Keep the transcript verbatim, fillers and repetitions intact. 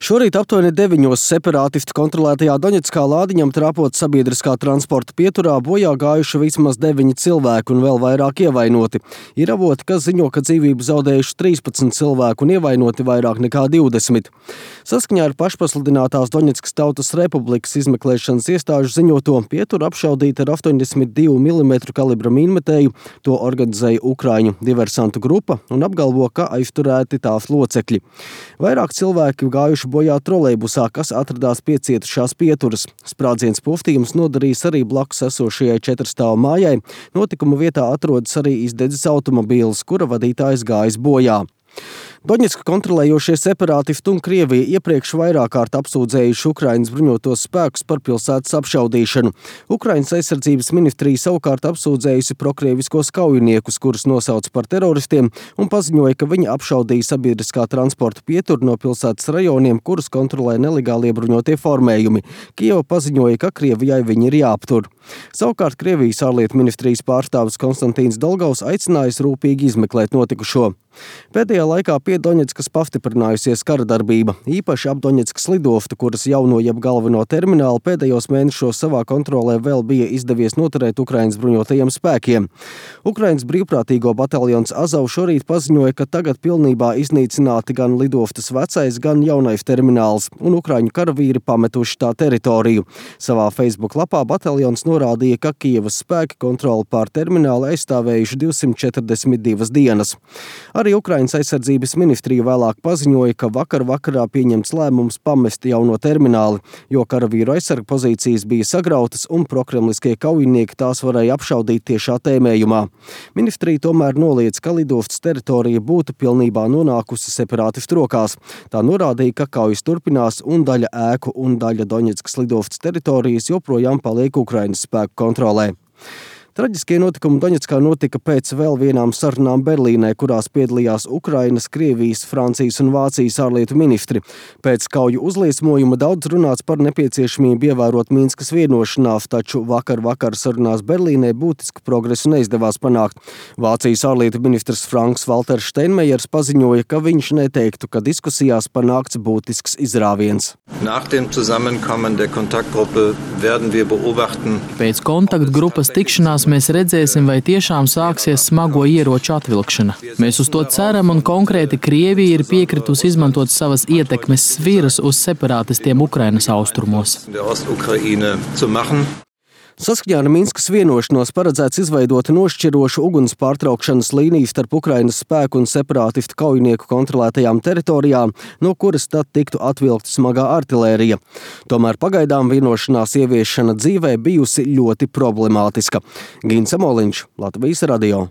Šorīt aptuveni deviņos separātistu kontrolētajā Doņetskā lādiņam trāpot sabiedriskā transporta pieturā bojā gājuši vismaz deviņi cilvēki un vēl vairāk ievainoti. Ir avoti, kas ziņo, ka dzīvību zaudējuši trīspadsmit cilvēku un ievainoti vairāk nekā divdesmit. Saskaņā ar pašpasludinātās Doņetskas Tautas Republikas izmeklēšanas iestāžu ziņoto pieturu apšaudīta ar astoņdesmit divu milimetru kalibra mīnmetēju. To organizēja Ukraiņu diversantu grupa un apgalvo, ka aizturēti tās locekļi. Vairāk cilvēki gājuši bojā trolejbusā, kas atradās pie cietušās pieturas. Sprādziens puftījums nodarījis arī blakus esošajai četrstāvu mājai. Notikuma vietā atrodas arī izdedzis automobīls, kura vadītājs gājis bojā. Doņetsku kontrolējošie separātisti un Krievija iepriekš vairāk kārt apsūdzējuši Ukrainas bruņotos spēkus par pilsētas apšaudīšanu. Ukrainas aizsardzības ministrija savukārt apsūdzējusi prokrieviskos kaujiniekus, kurus nosauca par teroristiem, un paziņoja, ka viņi apšaudīja sabiedriskā transporta pieturu no pilsētas rajoniem, kurus kontrolē nelegālie bruņotie formējumi. Kijeva paziņoja, ka Krievijai viņi ir jāaptur. Savukārt Krievijas ārlietu ministrijas pārstāvis Konstantīns Dolgaus aicinājis rūpīgi izmeklēt notikušo. Pēdējā laikā pie Doņetskas pastiprinājusies kara darbība, īpaši ap Doņetskas lidoftu, kuras jauno jeb galveno terminālu pēdējos mēnešos savā kontrolē vēl bija izdevies noturēt Ukrainas bruņotajiem spēkiem. Ukrainas brīvprātīgo bataljons Azov šorīt paziņoja, ka tagad pilnībā iznīcināti gan lidoftas vecais, gan jaunais termināls, un ukraiņu karavīri pametuši tā teritoriju. Savā Facebook lapā bataljons norādīja, ka Kijevas spēki kontroli pār terminālu aizstāvējuši divsimt četrdesmit divas dienas. Arī Ukrainas aizsardzības ministrija vēlāk paziņoja, ka vakar vakarā pieņemts lēmums pamest jauno termināli, jo karavīru aizsarga pozīcijas bija sagrautas un prokremliskie kaujinieki tās varēja apšaudīt tiešā tēmējumā. Ministrija tomēr noliedz, ka lidostas teritorija būtu pilnībā nonākusi separātistu rokās. Tā norādīja, ka kaujas turpinās un daļa ēku un daļa Doņetskas lidostas teritorijas joprojām paliek Ukrainas spēku kontrolē. Traģiskie notikumi Doņetskā notika pēc vēl vienām sarunām Berlīnē, kurās piedalījās Ukrainas, Krievijas, Francijas un Vācijas ārlietu ministri. Pēc kauju uzliesmojuma daudz runāts par nepieciešamību ievērot Minskas vienošanās, taču vakar vakar sarunās Berlīnē būtisku progresu neizdevās panākt. Vācijas ārlietu ministrs Franks Valters Steinmeiers paziņoja, ka viņš neteiktu, ka diskusijās panākts būtisks izrāviens. Nach dem Zusammenkommen der Kontaktgruppe werden wir beobachten. Pēc kontaktgrupas tikšanās mēs redzēsim, vai tiešām sāksies smago ieroču atvilkšana. Mēs uz to ceram, un konkrēti Krievija ir piekritusi izmantot savas ietekmes sviras uz separātistiem Ukrainas austrumos. Saskaņā ar Minskas vienošanos paredzēts izveidot nošķirošu uguns pārtraukšanas līniju starp Ukrainas spēku un separātistu kaujinieku kontrolētajām teritorijām, no kuras tad tiktu atvilkta smagā artilērija. Tomēr pagaidām vienošanās ieviešana dzīvē bijusi ļoti problemātiska. Gins Amoliņš, Latvijas radio.